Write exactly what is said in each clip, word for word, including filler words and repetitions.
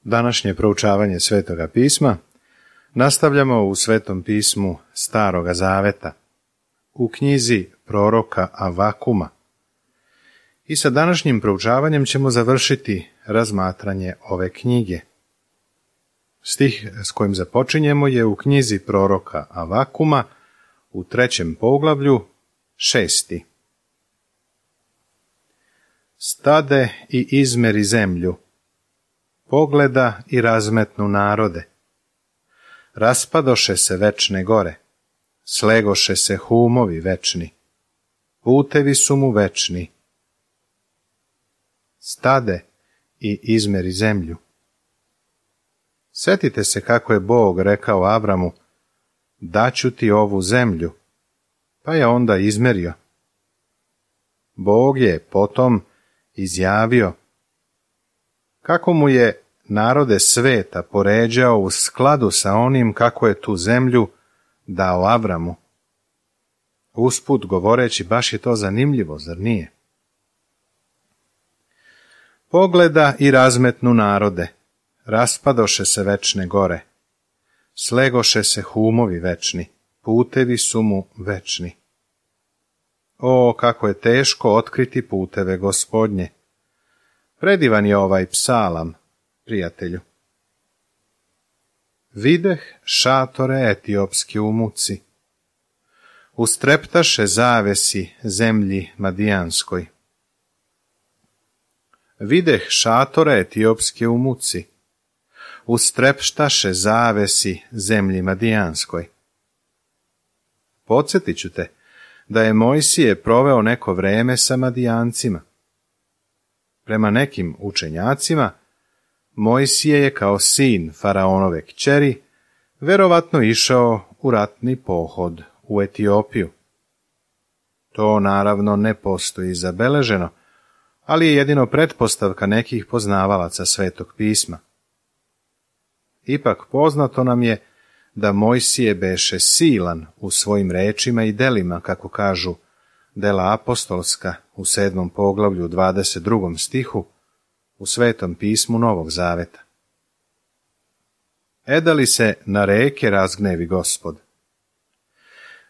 Današnje proučavanje Svetoga pisma nastavljamo u Svetom pismu Staroga zaveta, u knjizi proroka Avakuma. I sa današnjim proučavanjem ćemo završiti razmatranje ove knjige. Stih s kojim započinjemo je u knjizi proroka Avakuma u trećem poglavlju, šesti. Stade i izmeri zemlju, pogleda i razmetnu narode. Raspadoše se večne gore, slegoše se humovi večni, putevi su mu večni. Stade i izmeri zemlju. Sjetite se kako je Bog rekao Avramu, daću ti ovu zemlju, pa je onda izmerio. Bog je potom izjavio, kako mu je narode sveta poređao u skladu sa onim kako je tu zemlju dao Avramu. Usput govoreći, baš je to zanimljivo, zar nije? Pogleda i razmetnu narode, raspadoše se večne gore, slegoše se humovi večni, putevi su mu večni. O, kako je teško otkriti puteve Gospodnje! Predivan je ovaj psalam, prijatelju. Videh šatore etiopski u muci, ustreptaše zavesi zemlji madijanskoj. Videh šatore etiopske u muci, ustrepštaše zavesi zemlji madijanskoj. Podsjetit ću te da je Mojsije proveo neko vreme sa Madijancima. Prema nekim učenjacima, Mojsije je kao sin faraonove kćeri verovatno išao u ratni pohod u Etiopiju. To naravno ne postoji zabeleženo, ali je jedino pretpostavka nekih poznavalaca Svetog pisma. Ipak poznato nam je da Mojsije beše silan u svojim rečima i delima, kako kažu dela apostolska u sedmom poglavlju dvadeset drugom stihu u Svetom pismu Novog zaveta. Eda li se na reke razgnevi Gospod?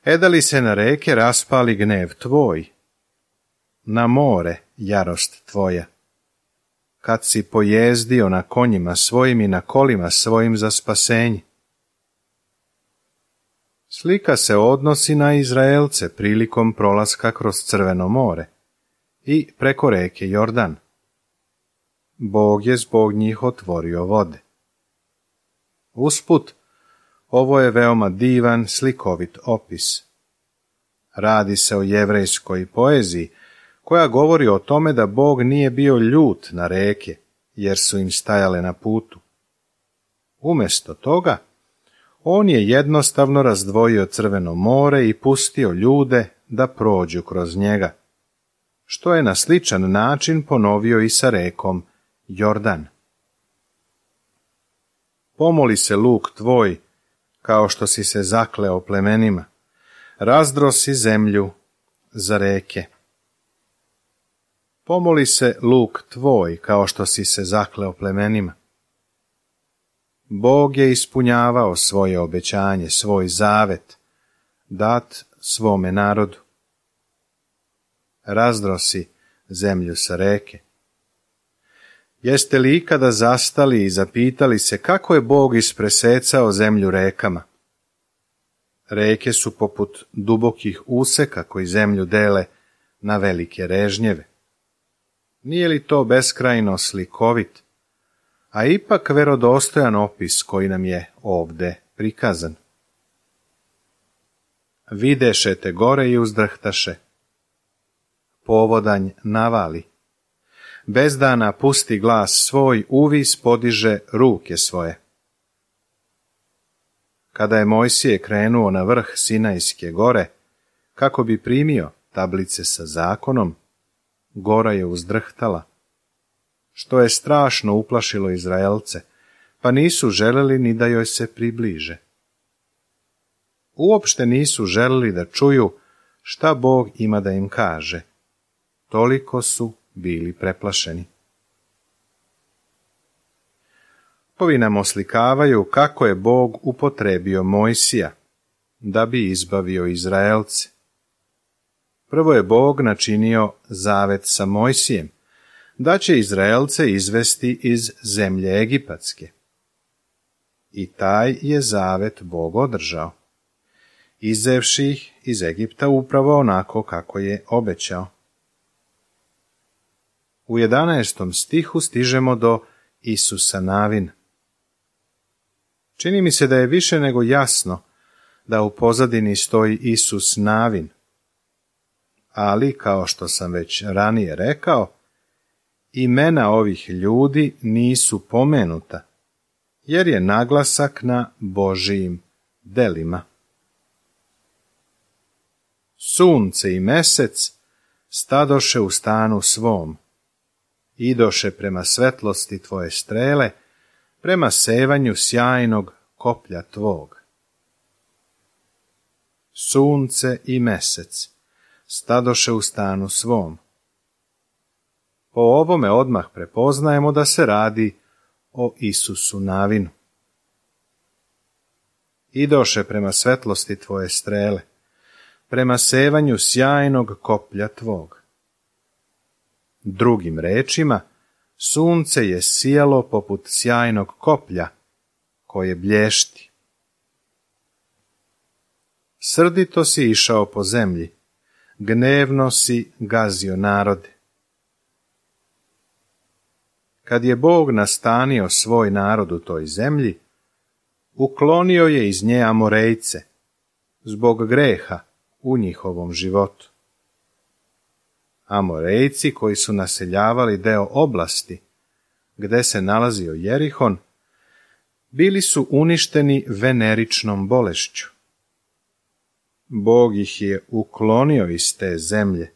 Eda li se na reke raspali gnev tvoj? Na more jarost tvoja? Kad si pojezdio na konjima svojim i na kolima svojim za spasenje? Slika se odnosi na Izraelce prilikom prolaska kroz Crveno more i preko reke Jordan. Bog je zbog njih otvorio vode. Usput, ovo je veoma divan, slikovit opis. Radi se o jevrejskoj poeziji, koja govori o tome da Bog nije bio ljut na reke, jer su im stajale na putu. Umjesto toga, on je jednostavno razdvojio Crveno more i pustio ljude da prođu kroz njega, što je na sličan način ponovio i sa rekom Jordan. Pomoli se luk tvoj, kao što si se zakleo plemenima, razdrosi zemlju za reke. Pomoli se luk tvoj, kao što si se zakleo plemenima. Bog je ispunjavao svoje obećanje, svoj zavet, dat svome narodu. Razdrosi zemlju sa reke. Jeste li ikada zastali i zapitali se kako je Bog ispresecao zemlju rekama? Reke su poput dubokih useka koji zemlju dele na velike režnjeve. Nije li to beskrajno slikovit, a ipak verodostojan opis koji nam je ovde prikazan? Videše te gore i uzdrhtaše. Povodanj navali. Bezdana pusti glas svoj, uvis podiže ruke svoje. Kada je Mojsije krenuo na vrh Sinajske gore, kako bi primio tablice sa zakonom, gora je uzdrhtala, što je strašno uplašilo Izraelce, pa nisu želeli ni da joj se približe. Uopšte nisu želeli da čuju šta Bog ima da im kaže. Toliko su bili preplašeni. Ovi nam oslikavaju kako je Bog upotrebio Mojsija da bi izbavio Izraelce. Prvo je Bog načinio zavet sa Mojsijem, da će Izraelce izvesti iz zemlje Egipatske. I taj je zavet Bog održao, izevši ih iz Egipta upravo onako kako je obećao. U jedanaestom stihu stižemo do Isusa Navina. Čini mi se da je više nego jasno da u pozadini stoji Isus Navin, ali, kao što sam već ranije rekao, imena ovih ljudi nisu pomenuta, jer je naglasak na Božijim delima. Sunce i mesec stadoše u stanu svom, idoše prema svetlosti tvoje strele, prema sevanju sjajnog koplja tvog. Sunce i mesec stadoše u stanu svom. Po ovome odmah prepoznajemo da se radi o Isusu Navinu. Idoše prema svetlosti tvoje strele, prema sevanju sjajnog koplja tvog. Drugim rečima, sunce je sijalo poput sjajnog koplja, koje blješti. Srdito si išao po zemlji, gnevno si gazio narode. Kad je Bog nastanio svoj narod u toj zemlji, uklonio je iz nje Amorejce, zbog greha u njihovom životu. Amorejci, koji su naseljavali deo oblasti gde se nalazio Jerihon, bili su uništeni veneričnom bolešću. Bog ih je uklonio iz te zemlje,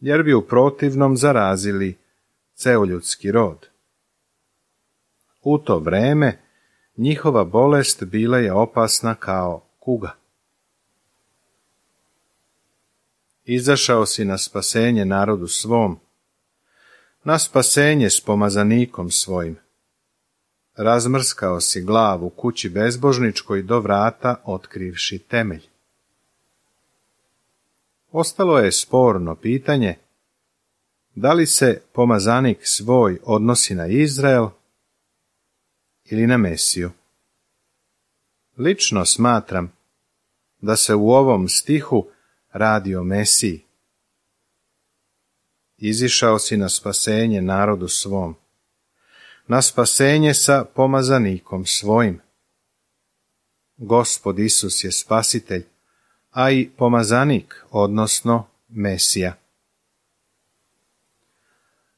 jer bi u protivnom zarazili ceo ljudski rod. U to vreme njihova bolest bila je opasna kao kuga. Izašao si na spasenje narodu svom, na spasenje s pomazanikom svojim. Razmrskao si glavu kući bezbožničkoj do vrata otkrivši temelj. Ostalo je sporno pitanje da li se pomazanik svoj odnosi na Izrael ili na Mesiju. Lično smatram da se u ovom stihu radi o Mesiji. Izišao si na spasenje narodu svom, na spasenje sa pomazanikom svojim. Gospod Isus je spasitelj, a i pomazanik, odnosno Mesija.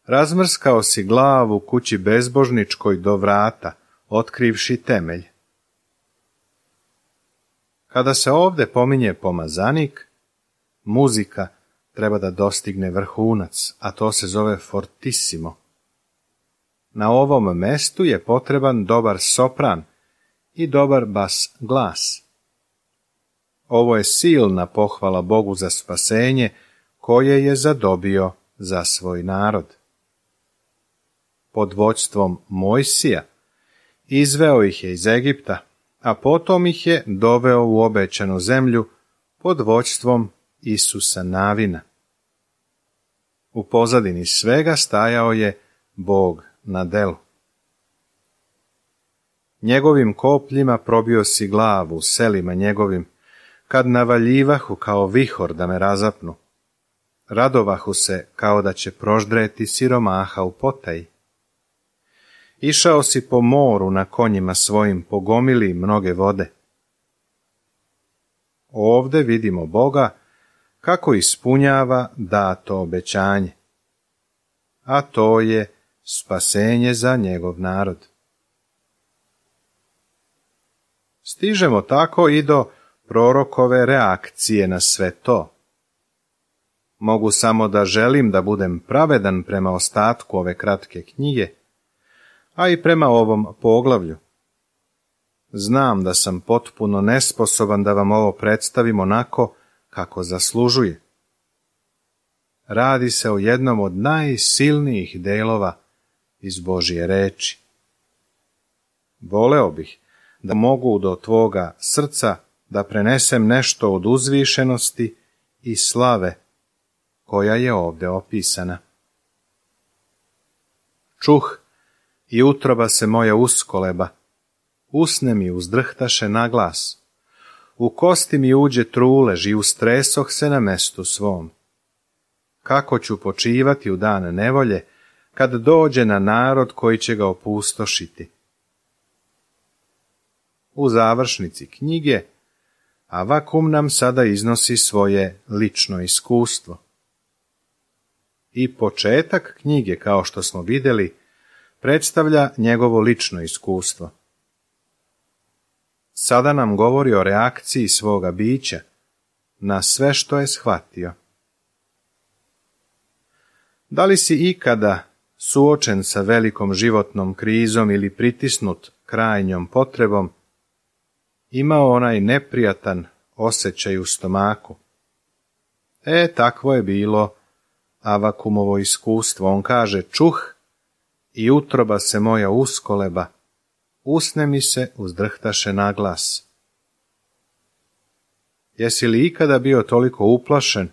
Razmrskao si glavu kući bezbožničkoj do vrata, otkrivši temelj. Kada se ovde pominje pomazanik, muzika treba da dostigne vrhunac, a to se zove fortissimo. Na ovom mestu je potreban dobar sopran i dobar bas glas. Ovo je silna pohvala Bogu za spasenje koje je zadobio za svoj narod. Pod vođstvom Mojsija izveo ih je iz Egipta, a potom ih je doveo u obećanu zemlju pod vođstvom Isusa Navina. U pozadini svega stajao je Bog na delu. Njegovim kopljima probio si glavu selima njegovim, kad navaljivahu kao vihor da me razapnu. Radovahu se kao da će proždreti siromaha u potaji. Išao si po moru na konjima svojim, pogomili mnoge vode. Ovde vidimo Boga kako ispunjava dato obećanje, a to je spasenje za njegov narod. Stižemo tako i do prorokove reakcije na sve to. Mogu samo da želim da budem pravedan prema ostatku ove kratke knjige, a i prema ovom poglavlju. Znam da sam potpuno nesposoban da vam ovo predstavim onako kako zaslužuje. Radi se o jednom od najsilnijih delova iz Božje reči. Voleo bih da mogu do tvoga srca da prenesem nešto od uzvišenosti i slave koja je ovdje opisana. Čuh i utroba se moja uskoleba, usne mi uzdrhtaše na glas, u kosti mi uđe trulež i ustresoh se na mestu svom. Kako ću počivati u dan nevolje, kad dođe na narod koji će ga opustošiti. U završnici knjige Avakum nam sada iznosi svoje lično iskustvo. I početak knjige, kao što smo vidjeli, predstavlja njegovo lično iskustvo. Sada nam govori o reakciji svoga bića na sve što je shvatio. Da li si ikada suočen sa velikom životnom krizom ili pritisnut krajnjom potrebom, imao onaj neprijatan osjećaj u stomaku? E, takvo je bilo Avakumovo iskustvo. On kaže, čuh i utroba se moja uskoleba, usne mi se uzdrhtaše na glas. Jesi li ikada bio toliko uplašen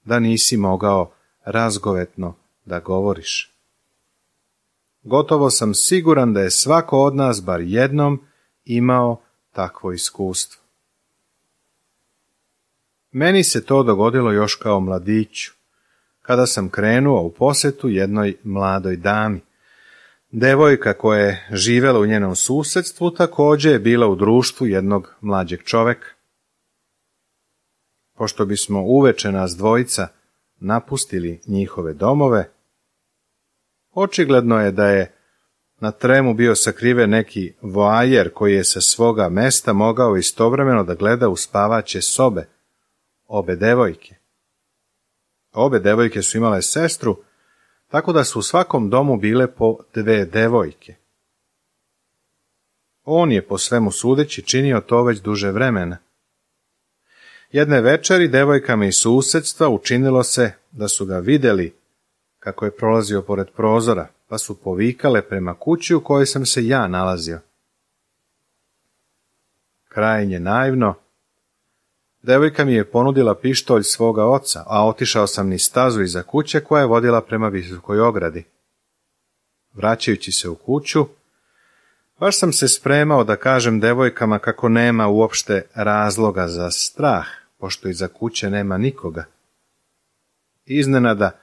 da nisi mogao razgovetno da govoriš? Gotovo sam siguran da je svako od nas bar jednom imao takvo iskustvo. Meni se to dogodilo još kao mladiću, kada sam krenuo u posjetu jednoj mladoj dami. Devojka koja je živjela u njenom susjedstvu također je bila u društvu jednog mlađeg čoveka. Pošto bismo uveče nas dvojica napustili njihove domove, očigledno je da je na tremu bio sakriven neki voajer koji je sa svoga mesta mogao istovremeno da gleda u spavaće sobe obe devojke. Obe devojke su imale sestru, tako da su u svakom domu bile po dve devojke. On je po svemu sudeći činio to već duže vremena. Jedne večeri devojkama iz susjedstva učinilo se da su ga vidjeli kako je prolazio pored prozora, pa su povikale prema kući u kojoj sam se ja nalazio. Krajnje naivno, devojka mi je ponudila pištolj svoga oca, a otišao sam niz stazu iza kuće koja je vodila prema visokoj ogradi. Vraćajući se u kuću, baš sam se spremao da kažem devojkama kako nema uopšte razloga za strah, pošto iza kuće nema nikoga. Iznenada,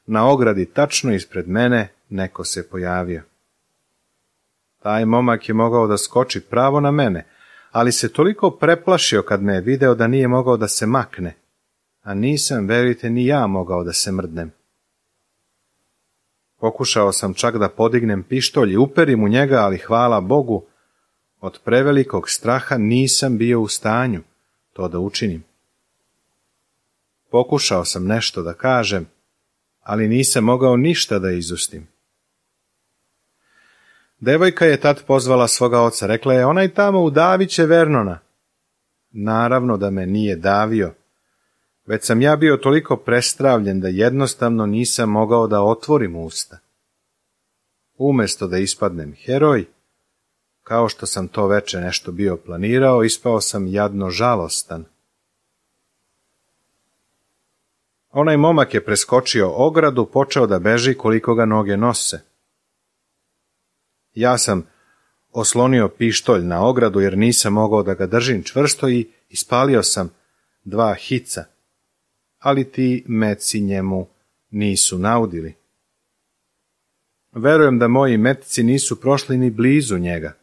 na ogradi tačno ispred mene neko se pojavio. Taj momak je mogao da skoči pravo na mene, ali se toliko preplašio kad me je video da nije mogao da se makne, a nisam, verujte, ni ja mogao da se mrdnem. Pokušao sam čak da podignem pištolj i uperim u njega, ali hvala Bogu, od prevelikog straha nisam bio u stanju to da učinim. Pokušao sam nešto da kažem, ali nisam mogao ništa da izustim. Devojka je tad pozvala svoga oca, rekla je, onaj tamo udavit će Vernona. Naravno da me nije davio, već sam ja bio toliko prestravljen da jednostavno nisam mogao da otvorim usta. Umjesto da ispadnem heroj, kao što sam to veče nešto bio planirao, ispao sam jadno žalostan. Onaj momak je preskočio ogradu, počeo da beži koliko ga noge nose. Ja sam oslonio pištolj na ogradu jer nisam mogao da ga držim čvrsto i ispalio sam dva hica, ali ti metci njemu nisu naudili. Verujem da moji metci nisu prošli ni blizu njega.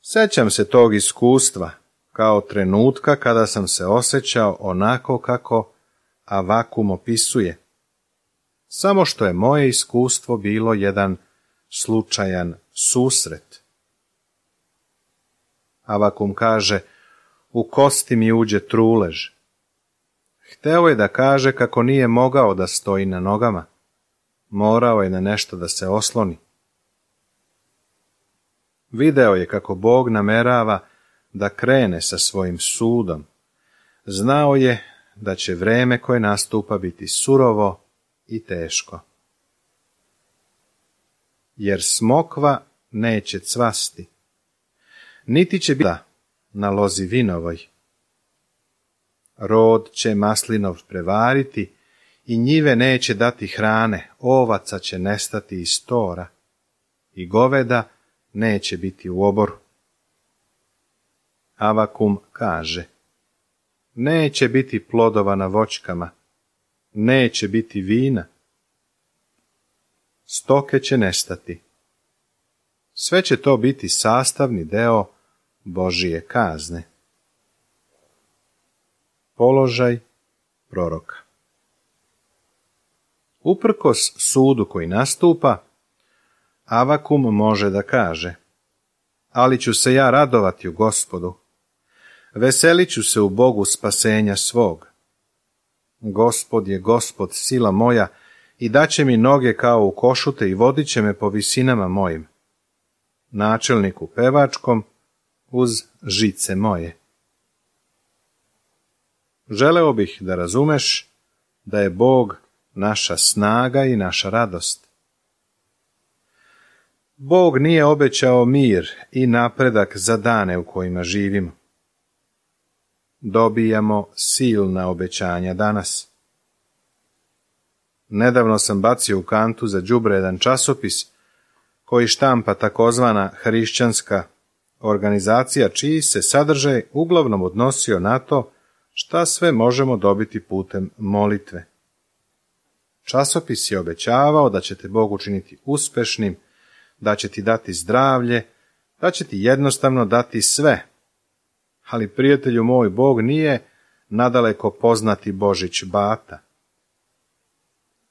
Sećam se tog iskustva kao trenutka kada sam se osjećao onako kako Avakum opisuje, samo što je moje iskustvo bilo jedan slučajan susret. Avakum kaže, u kosti mi uđe trulež. Hteo je da kaže kako nije mogao da stoji na nogama, morao je na nešto da se osloni. Video je kako Bog namerava da krene sa svojim sudom. Znao je da će vreme koje nastupa biti surovo i teško. jer smokva neće cvasti, niti će biti na lozi vinovoj. Rod će maslinov prevariti i njive neće dati hrane, ovaca će nestati iz tora i goveda neće biti u oboru. Avakum kaže, neće biti plodova na voćkama, neće biti vina, stoke će nestati. Sve će to biti sastavni deo Božije kazne. Položaj proroka. Uprkos sudu koji nastupa, Avakum može da kaže, ali ću se ja radovati u Gospodu, veselit ću se u Bogu spasenja svog. Gospod je Gospod, sila moja, i daće mi noge kao u košute i vodit će me po visinama mojim. Načelniku pevačkom uz žice moje. Želeo bih da razumeš da je Bog naša snaga i naša radost. Bog nije obećao mir i napredak za dane u kojima živimo. Dobijamo silna obećanja danas. Nedavno sam bacio u kantu za đubre jedan časopis koji štampa takozvana hrišćanska organizacija, čiji se sadržaj uglavnom odnosio na to šta sve možemo dobiti putem molitve. Časopis je obećavao da će te Bog učiniti uspešnim, da će ti dati zdravlje, da će ti jednostavno dati sve. Ali, prijatelju moj, Bog nije nadaleko poznati Božić Bata.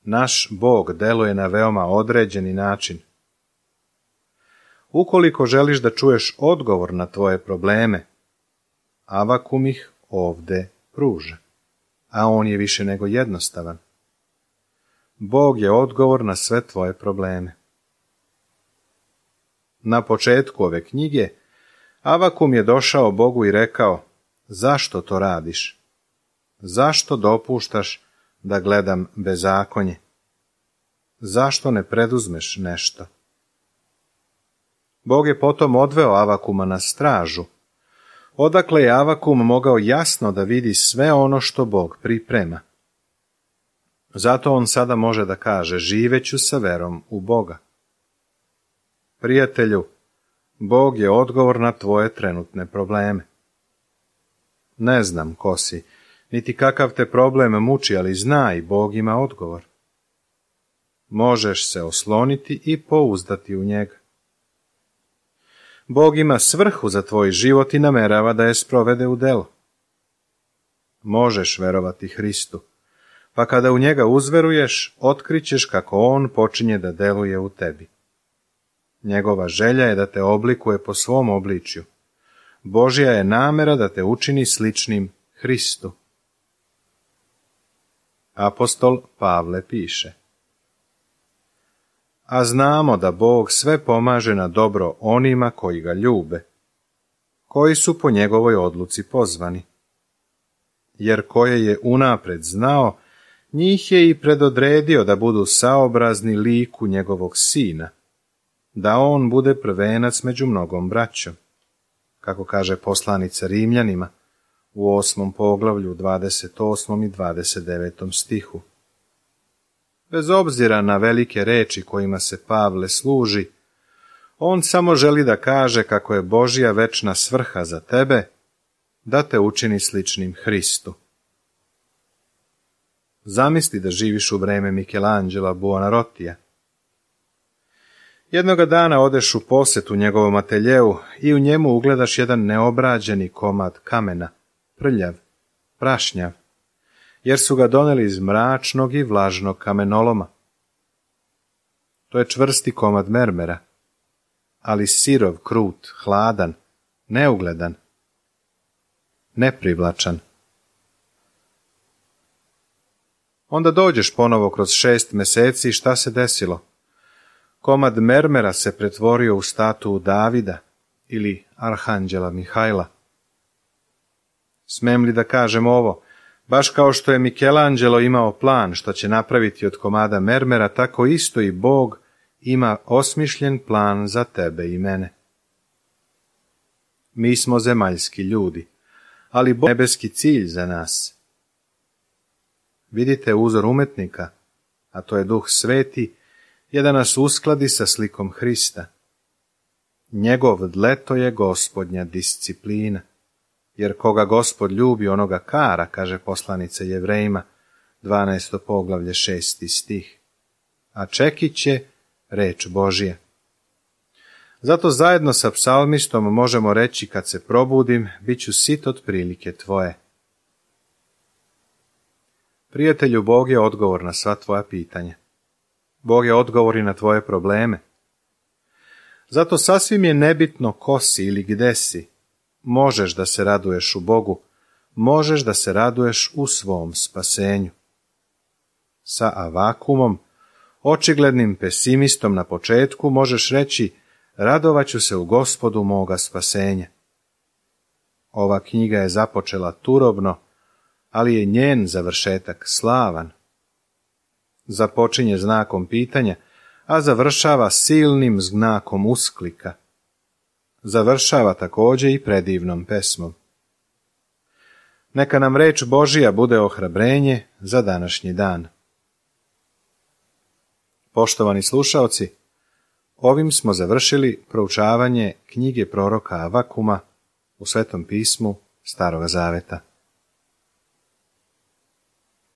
Naš Bog deluje na veoma određeni način. Ukoliko želiš da čuješ odgovor na tvoje probleme, Avakum ih ovde pruža, a on je više nego jednostavan. Bog je odgovor na sve tvoje probleme. Na početku ove knjige Avakum je došao Bogu i rekao, zašto to radiš? Zašto dopuštaš da gledam bezakonje? Zašto ne preduzmeš nešto? Bog je potom odveo Avakuma na stražu, odakle je Avakum mogao jasno da vidi sve ono što Bog priprema. Zato on sada može da kaže, živeću sa verom u Boga. Prijatelju, Bog je odgovor na tvoje trenutne probleme. Ne znam ko si, niti kakav te problem muči, ali znaj, Bog ima odgovor. Možeš se osloniti i pouzdati u njega. Bog ima svrhu za tvoj život i namerava da je sprovede u delo. Možeš verovati Hristu, pa kada u njega uzveruješ, otkrićeš kako on počinje da deluje u tebi. Njegova želja je da te oblikuje po svom obličju. Božja je namera da te učini sličnim Hristu. Apostol Pavle piše, a znamo da Bog sve pomaže na dobro onima koji ga ljube, koji su po njegovoj odluci pozvani. Jer koje je unapred znao, njih je i predodredio da budu saobrazni liku njegovog sina, da on bude prvenac među mnogom braćom, kako kaže poslanica Rimljanima u osmom poglavlju, dvadeset osmom i dvadeset devetom stihu. Bez obzira na velike reči kojima se Pavle služi, on samo želi da kaže kako je Božja večna svrha za tebe, da te učini sličnim Hristu. Zamisli da živiš u vreme Michelangela Buonarrotija. Jednoga dana odeš u posetu njegovom ateljeu i u njemu ugledaš jedan neobrađeni komad kamena, prljav, prašnjav, jer su ga doneli iz mračnog i vlažnog kamenoloma. To je čvrsti komad mermera, ali sirov, krut, hladan, neugledan, neprivlačan. Onda dođeš ponovo kroz šest meseci i šta se desilo? Komad mermera se pretvorio u statuu Davida ili arhanđela Mihajla. Smem li da kažem ovo? Baš kao što je Michelangelo imao plan što će napraviti od komada mermera, tako isto i Bog ima osmišljen plan za tebe i mene. Mi smo zemaljski ljudi, ali Bog nebeski cilj za nas. Vidite uzor umetnika, a to je Duh Sveti, je da nas uskladi sa slikom Hrista. Njegov dleto je Gospodnja disciplina, jer koga Gospod ljubi, onoga kara, kaže poslanica Jevrejima, dvanaesto poglavlje, šesti stih. A čekić je reč Božja. Zato zajedno sa psalmistom možemo reći kad se probudim, bit ću sit od prilike tvoje. Prijatelju, Bog je odgovor na sva tvoja pitanja. Bog je odgovor i na tvoje probleme. Zato sasvim je nebitno ko si ili gde si. Možeš da se raduješ u Bogu, možeš da se raduješ u svom spasenju. Sa Avakumom, očiglednim pesimistom na početku, možeš reći: radovaću se u Gospodu moga spasenja. Ova knjiga je započela turobno, ali je njen završetak slavan. Započinje znakom pitanja, a završava silnim znakom usklika. Završava također i predivnom pesmom. Neka nam reč Božija bude ohrabrenje za današnji dan. Poštovani slušaoci, ovim smo završili proučavanje knjige proroka Avakuma u Svetom pismu Staroga Zaveta.